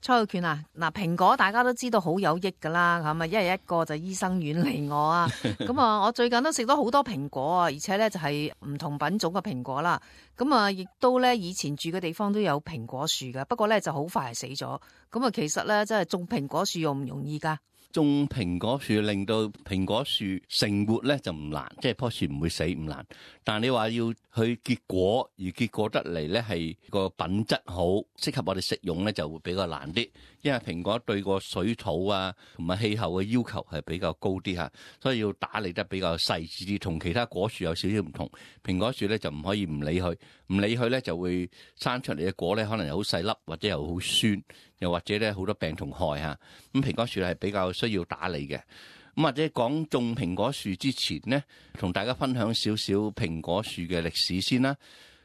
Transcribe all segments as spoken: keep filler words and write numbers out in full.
蔡浩權啊，嗱，蘋果大家都知道好有益噶啦，咁啊一日一個就醫生遠離我啊。咁啊，我最近都食咗好多蘋果啊，而且咧就係唔同品種嘅蘋果啦。咁啊，亦都咧以前住嘅地方都有蘋果樹噶，不過咧就好快係死咗。咁啊，其實咧真係種蘋果樹容唔容易噶？種蘋果樹令到蘋果樹成活咧就唔難，即係棵樹唔會死唔難。但係你話要去結果，而結果得嚟咧係個品質好，適合我哋食用咧就會比較難啲。因為蘋果對個水土啊同埋氣候嘅要求係比較高啲嚇，所以要打理得比較細緻啲，同其他果樹有少少唔同。蘋果樹咧就唔可以唔理佢，唔理佢咧就會生出嚟嘅果咧可能又好細粒，或者又好酸，又或者咧好多病蟲害嚇。咁蘋果樹係比較需要打理嘅。咁或者講種蘋果樹之前呢，同大家分享少少蘋果樹嘅歷史先啦。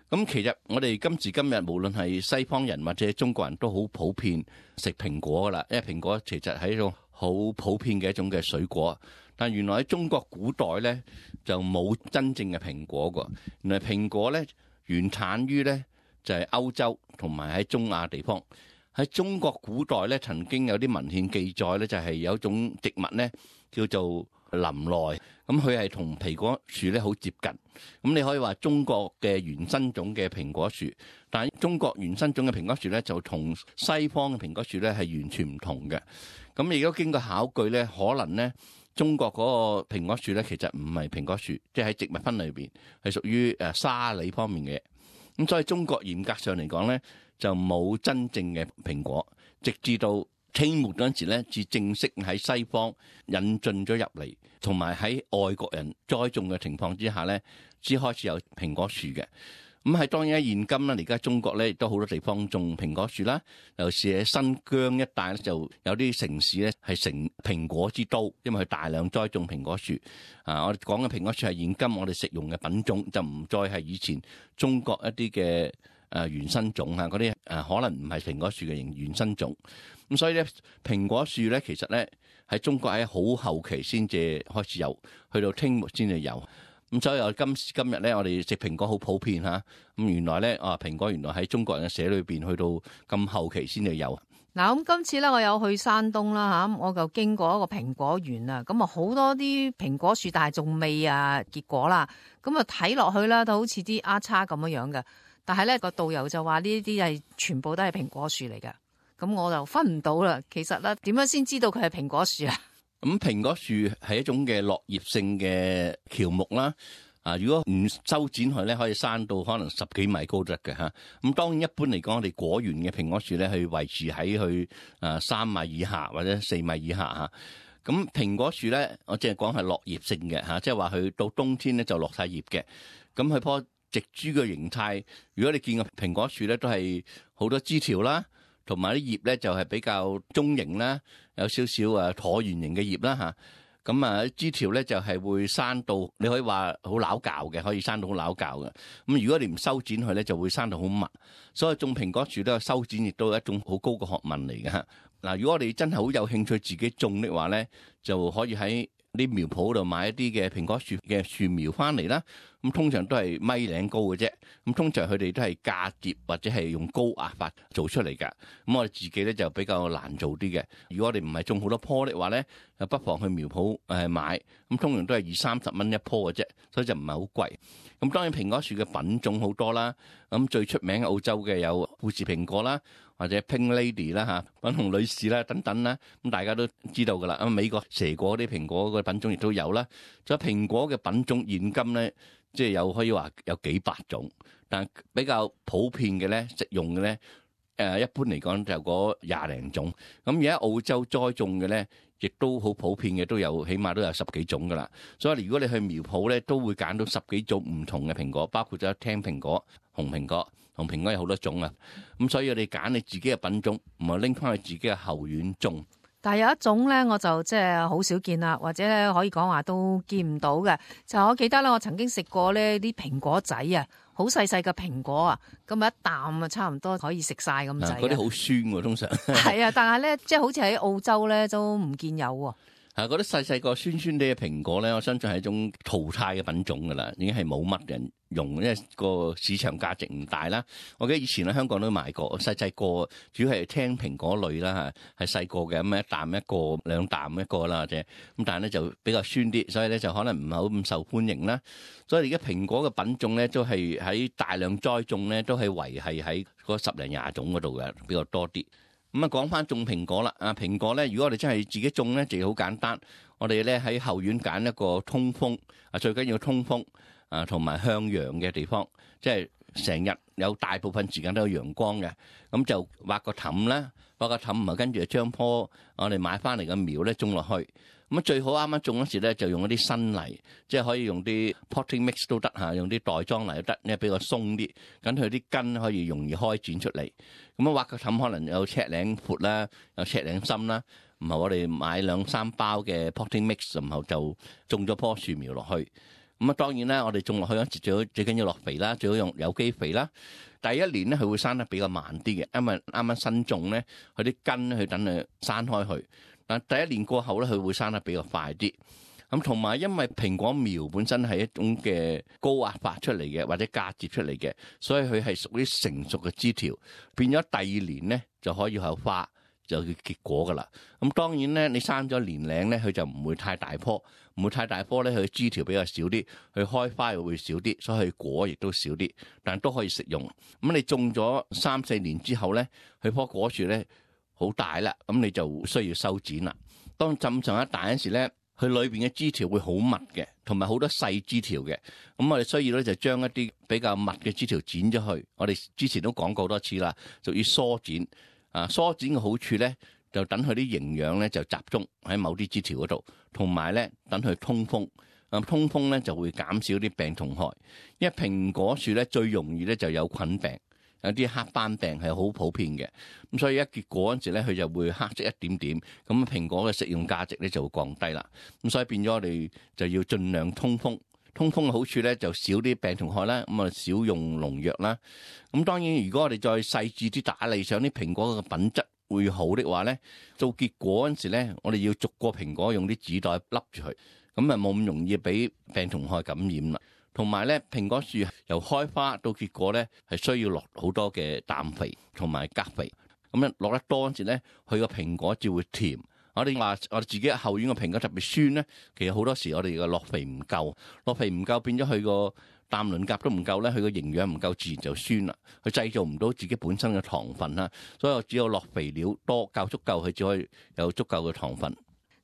咁其實我哋今時今日無論係西方人或者中國人都好普遍食蘋果噶啦，因為蘋果其實係一種好普遍嘅一種嘅水果。但原來喺中國古代咧就冇真正嘅蘋果噶，原來蘋果咧原產於咧就係歐洲同埋喺中亞地方。喺中國古代咧曾經有啲文獻記載咧就係有一種植物咧叫做林萊，咁佢係同蘋果樹咧好接近。咁你可以話中國嘅原生種嘅蘋果樹，但係中國原生種嘅蘋果樹咧就同西方嘅蘋果樹咧係完全唔同嘅。咁亦都經過考據咧，可能咧中國嗰個蘋果樹咧其實唔係蘋果樹，即係喺植物分類裏邊係屬於誒沙梨方面嘅。咁所以中國嚴格上嚟講咧就冇真正嘅蘋果，直至到清末嗰陣時咧，至正式喺西方引進咗入嚟，同埋喺外國人栽種嘅情況之下咧，先開始有蘋果樹嘅。咁係當然喺現今啦，而家中國咧亦都好多地方種蘋果樹啦，尤其是喺新疆一帶咧，就有啲城市咧係成蘋果之都，因為佢大量栽種蘋果樹。啊，我哋講嘅蘋果樹係現今我哋食用嘅品種，就唔再係以前中國一啲嘅誒原生種啊，嗰啲誒可能唔係蘋果樹嘅原原生種。咁所以咧，蘋果樹咧其實咧喺中國喺好後期先至開始有，去到清末先至有。咁所以我今時今日咧，我哋食蘋果好普遍嚇。咁原來咧，啊蘋果原來喺中國人嘅社裏邊，去到咁後期先至有。嗱，咁今次咧，我有去山東啦嚇，我就經過一個蘋果園啊，咁啊好多啲蘋果樹，但係仲未啊結果啦。咁啊睇落去啦，都好似啲丫叉咁樣樣嘅。但係咧個導遊就話呢啲係全部都係蘋果樹嚟嘅。咁我就分唔到啦。其實咧，點樣先知道佢係蘋果樹啊？咁蘋果樹係一種嘅落葉性嘅喬木啦。啊，如果唔修剪佢咧，可以生到可能十幾米高得嘅嚇。咁當然一般嚟講，我哋果園嘅蘋果樹咧，去維持喺去啊三米以下或者四米以下嚇。咁蘋果樹咧，我淨係講係落葉性嘅嚇，即係話佢到冬天咧就落晒葉嘅。咁佢棵植株嘅形態，如果你見過蘋果樹咧，都係好多枝條啦。同埋啲葉咧就係比較中型啦，有少少誒橢圓形嘅葉啦嚇。咁啊枝條咧就係會生到，你可以話好拗教嘅，可以生到好拗教嘅。咁如果你唔修剪佢咧，就會生到好密。所以種蘋果樹都有修剪，亦都係一種好高嘅學問嚟嘅嚇。嗱，如果我哋真係好有興趣自己種的話咧，就可以喺啲苗圃度買一啲嘅蘋果樹嘅樹苗翻嚟啦。咁通常都係米零高嘅啫。咁通常佢哋都係嫁接或者係用高壓法做出嚟㗎。咁我哋自己咧就比較難做啲嘅。如果我哋唔係種好多棵的話咧，就不妨去苗圃誒買。咁通常都係二三十蚊一棵嘅啫，所以就唔係好貴。咁當然蘋果樹嘅品種好多啦。咁最出名嘅澳洲嘅有富士蘋果啦，或者 Pink Lady 啦嚇，粉紅女士啦等等啦。咁大家都知道㗎啦。咁美國蛇果啲蘋果嘅品種亦都有啦。仲有蘋果嘅品種現今咧，即係有可以話有幾百種，但比較普遍嘅咧，食用嘅咧，誒一般嚟講就嗰廿零種。咁而家澳洲栽種嘅咧，亦都好普遍嘅，都有起碼都有十幾種噶啦。所以如果你去苗圃咧，都會揀到十幾種唔同嘅蘋果，包括咗青蘋果、紅蘋果，紅蘋果有好多種啊。咁所以我哋揀你自己嘅品種，唔係拎翻去自己嘅後院種。但係有一種咧，我就即係好少見啦，或者咧可以講話都見唔到嘅。就我記得咧，我曾經食過呢啲蘋果仔啊，好細細嘅蘋果啊，咁啊一啖啊，差唔多可以食晒咁滯。嗰啲好酸喎，通常。係啊，但係咧，即係好似喺澳洲咧都唔見有喎。係嗰啲細細個酸酸啲嘅蘋果咧，我相信係一種淘汰嘅品種噶啦，已經係冇乜人用，因為個市場價值唔大啦。我記得以前喺香港都買過，細細個主要係聽蘋果類啦嚇，係細個嘅咁一啖一個兩啖一個啦，或者咁，但係咧就比較酸啲，所以咧就可能唔係好咁受歡迎啦。所以而家蘋果嘅品種咧都係喺大量栽種咧，都係維係喺嗰十零廿種嗰度嘅比較多啲。咁啊，講翻種蘋果啦。啊，蘋果咧，如果我哋真係自己種咧，就好簡單。我哋咧喺後院揀一個通風啊，最緊要通風啊，同埋向陽嘅地方，即係成日有大部分時間都有陽光嘅。咁就挖個氹啦，挖個氹啊，跟住就將棵我哋買翻嚟嘅苗咧種落去。咁啊，最好啱啱種嗰時咧，就用一啲新泥，即係可以用啲 potting mix 都得嚇，用啲袋裝泥都得，因為比較鬆啲，咁佢啲根可以容易開展出嚟。咁啊，挖個氹可能有尺零闊啦，有尺零深啦。唔係我哋買兩三包嘅 potting mix，然後就種咗棵樹苗落去。咁啊，當然啦，我哋種落去嗰時最好最緊要落肥啦，最好用有機肥啦。第一年咧，佢會生得比較慢啲嘅，因為啱啱新種咧，佢啲根咧，佢等佢生開去。但第一年過後咧，佢會生得比較快啲。咁同埋因為蘋果苗本身係一種嘅高壓發出嚟嘅，或者嫁接出嚟嘅，所以佢係屬於成熟嘅枝條，變咗第二年咧就可以有花，就要結果噶啦。咁當然咧，你生咗年齡咧，佢就唔會太大棵，唔會太大棵咧，佢枝條比較少啲，佢開花又會少啲，所以佢果亦都少啲，但都可以食用。咁你種咗三四年之後咧，佢棵果樹咧好大啦，咁你就需要修剪啦。當浸上一大嗰時咧，佢裏邊嘅枝條會好密嘅，同埋好多細枝條嘅。咁我哋需要咧就將一啲比較密嘅枝條剪咗去。我哋之前都講過多次啦，就要疏剪。啊，疏剪嘅好處咧，就等佢啲營養咧就集中喺某啲枝條嗰度，同埋咧等佢通風。咁通風咧就會減少啲病蟲害。因為蘋果樹咧最容易咧就有菌病。有啲黑斑病係好普遍嘅，咁所以一結果嗰陣時咧，佢就會黑色一點點，咁蘋果嘅食用價值咧就會降低啦。咁所以變咗我哋就要盡量通風，通風嘅好處咧就少啲病蟲害啦，咁啊少用農藥啦。咁當然如果我哋再細緻啲打理，想啲蘋果嘅品質會好的話咧，做結果嗰陣時咧，我哋要逐個蘋果用啲紙袋笠住佢，咁啊冇咁容易俾病蟲害感染啦。同埋咧，蘋果樹由開花到結果咧，係需要落好多嘅氮肥同埋鉀肥。咁樣落得多嗰陣時咧，佢個蘋果就會甜。我哋話我哋自己後院個蘋果特別酸咧，其實好多時我哋個落肥唔夠，落肥唔夠變咗佢個氮磷鉀都唔夠咧，佢個營養唔夠，自然就酸啦。佢製造唔到自己本身嘅糖分啦，所以我只有落肥料多夠足夠，佢只可以有足夠嘅糖分。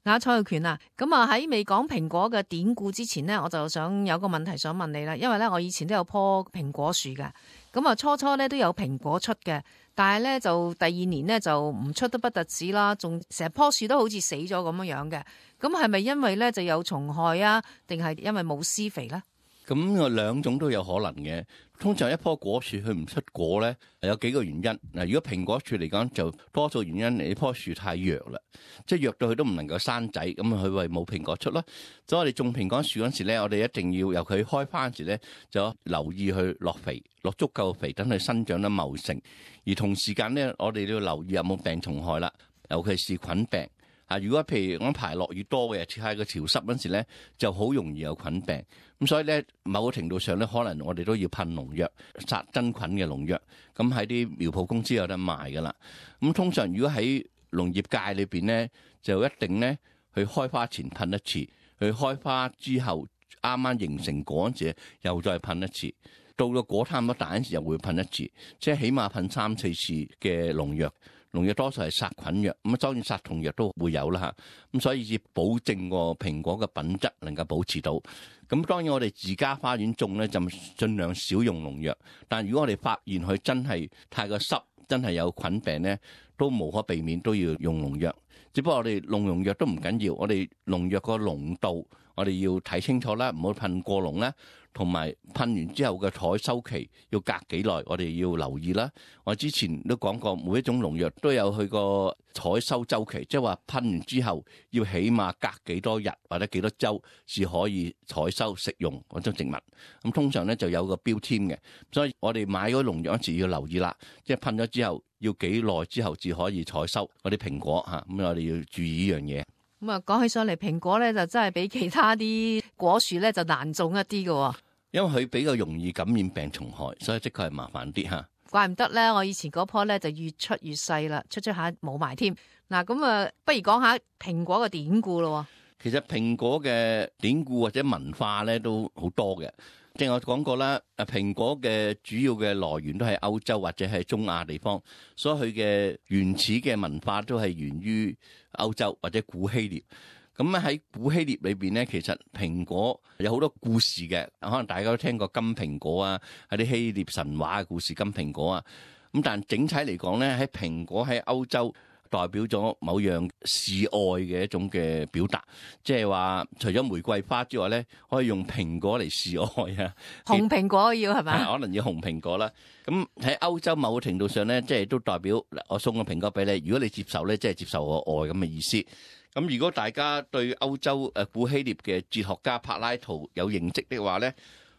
阿蔡玉權啊，咁啊喺未講蘋果嘅典故之前呢，我就想有個問題想問你啦。因為咧，我以前都有棵蘋果樹嘅，咁啊初初咧都有蘋果出嘅，但係咧就第二年咧就唔出得不特止啦，仲成棵樹都好似死咗咁樣樣嘅。咁係咪因為咧就有蟲害啊，定係因為冇施肥咧？咁啊兩種都有可能嘅。通常一棵果樹佢唔出果咧，有幾個原因。嗱，如果蘋果樹嚟講，就多數原因你棵樹太弱啦，即係弱到佢都唔能夠生仔，咁佢為冇蘋果出咯。所以我哋種蘋果樹嗰時咧，我哋一定要由佢開花嗰時咧，就留意去落肥，落足夠肥，等佢生長得茂盛。而同時間咧，我哋都要留意有冇病蟲害啦，尤其是菌病。啊！如果譬如我排落雨多嘅，似係個潮濕嗰時咧，就好容易有菌病。咁所以咧，某個程度上咧，可能我哋都要噴農藥、殺真菌嘅農藥。咁喺啲苗圃公司有得賣噶啦。咁通常如果喺農業界裏邊咧，就一定咧去開花前噴一次，去開花之後啱啱形成果嗰時又再噴一次，到個果差唔多大嗰時又會噴一次，即係起碼噴三四次嘅農藥。農藥多數係殺菌藥，咁啊當然殺蟲藥都會有啦嚇，咁所以要保證個蘋果嘅品質能夠保持到。咁當然我哋自家花園種咧就盡量少用農藥，但如果我哋發現佢真係太過濕，真係有菌病咧，都無可避免都要用農藥。只不過我哋用農藥都唔緊要，我哋農藥個濃度我哋要睇清楚啦，唔好噴過濃啦。同埋噴完之後嘅採收期要隔幾耐，我哋要留意啦。我之前都講過，每一種農藥都有佢個採收周期，即係話噴完之後要起碼隔幾多日或者幾多週先可以採收食用嗰種植物。咁通常咧就有個標籤嘅，所以我哋買嗰農藥嗰時要留意啦，即係噴咗之後要幾耐之後至可以採收嗰啲蘋果嚇。咁我哋要注意呢樣嘢。咁啊，講起上嚟，蘋果咧就真係比其他啲果樹咧就難種一啲嘅，因為佢比較容易感染病蟲害，所以的確係麻煩啲吓。怪唔得咧，我以前嗰棵咧就越出越細啦，出出下冇埋添。嗱，咁啊，不如講下蘋果嘅典故咯。其實蘋果嘅典故或者文化咧都好多嘅。正如我講過啦，誒蘋果嘅主要嘅來源都係歐洲或者係中亞地方，所以佢嘅原始嘅文化都係源於歐洲或者古希臘。咁喺古希臘裏邊咧，其實蘋果有好多故事嘅，可能大家都聽過金蘋果啊，係啲希臘神話嘅故事金蘋果啊。咁但整體嚟講咧，喺蘋果喺歐洲代表咗某樣示愛嘅一種嘅表達，即係話除咗玫瑰花之外咧，可以用蘋果嚟示愛啊。紅蘋果要係咪？可能要紅蘋果啦。咁喺歐洲某個程度上咧，即係都代表我送個蘋果俾你，如果你接受咧，即係接受我愛咁嘅意思。咁如果大家對歐洲誒古希臘嘅哲學家柏拉圖有認識的話咧，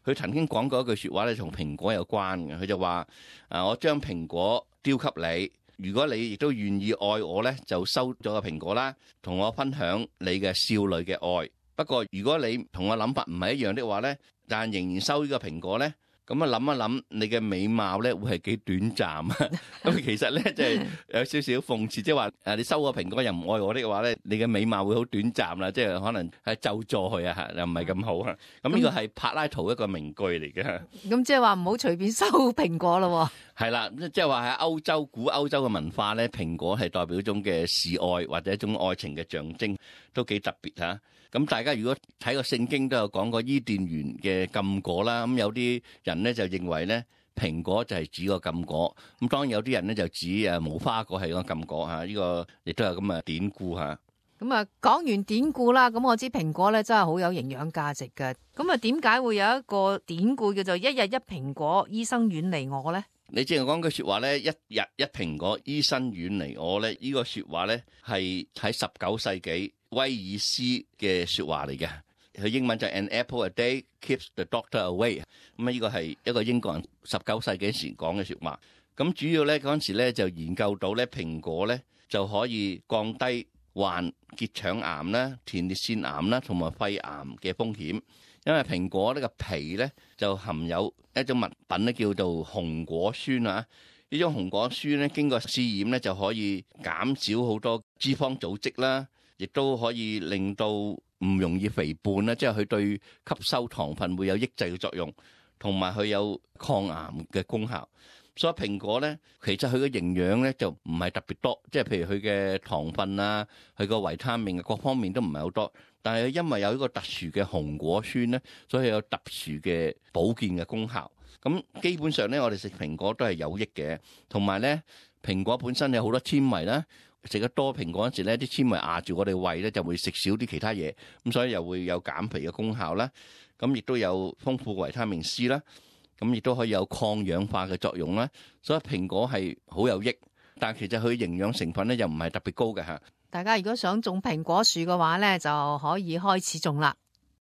佢曾經講過一句説話咧，同蘋果有關嘅。佢就話：啊，我將蘋果丟給你。如果你亦都願意愛我咧，就收咗個蘋果啦，同我分享你嘅少女嘅愛。不過如果你同我諗法唔係一樣的話咧，但仍然收呢個蘋果咧，咁啊諗一諗你嘅美貌咧會係幾短暫啊？咁其實咧即係有少少諷刺，即係話誒你收個蘋果又唔愛我的話咧，你嘅美貌會好短暫啦，即係可能係咒詛佢啊，又唔係咁好啊。咁呢個係柏拉圖一個名句嚟嘅。咁即係話唔好隨便收蘋果咯。係啦，即係話喺歐洲古歐洲嘅文化咧，蘋果係代表一種嘅示愛或者一種愛情嘅象徵，都幾特別嚇。咁大家如果睇個聖經都有講過伊甸園嘅禁果啦，咁有啲人咧就認為咧蘋果就係指個禁果，咁當然有啲人咧就指誒無花果係個禁果嚇，呢個亦都有咁嘅典故嚇。咁啊，講完典故啦，咁我知蘋果咧真係好有營養價值嘅。咁啊，點解會有一個典故叫做一日一蘋果，醫生遠離我咧？你正係講句説話咧，一日一蘋果，醫生遠離我咧，呢個説話咧係喺十九世紀威爾斯嘅説話嚟嘅。佢英文就係 An apple a day keeps the doctor away。咁啊，呢個係一個英國人十九世紀時講嘅説話。咁主要咧嗰陣時咧就研究到咧蘋果咧就可以降低患結腸癌啦、前列腺癌啦同埋肺癌嘅風險。因為蘋果呢個皮咧就含有一種物品咧叫做紅果酸啊，呢種紅果酸咧經過試驗咧就可以減少好多脂肪組織啦，亦都可以令到唔容易肥胖啦，即係佢對吸收糖分會有抑制嘅作用，同埋佢有抗癌嘅功效。所以蘋果咧，其實佢嘅營養咧就唔係特別多，即係譬如佢嘅糖分啊，佢個維他命各方面都唔係好多。但係因為有一個特殊嘅紅果酸咧，所以有特殊嘅保健嘅功效。咁基本上咧，我哋食蘋果都係有益嘅。同埋咧，蘋果本身有好多纖維啦，食得多蘋果嗰時咧，啲纖維壓住我哋胃咧，就會食少啲其他嘢，咁所以又會有減肥嘅功效啦。咁亦都有豐富嘅維他命 C 啦。咁亦都可以有抗氧化嘅作用啦，所以蘋果係好有益，但其實佢營養成分咧又唔係特別高嘅嚇。大家如果想種蘋果樹嘅話咧，就可以開始種啦。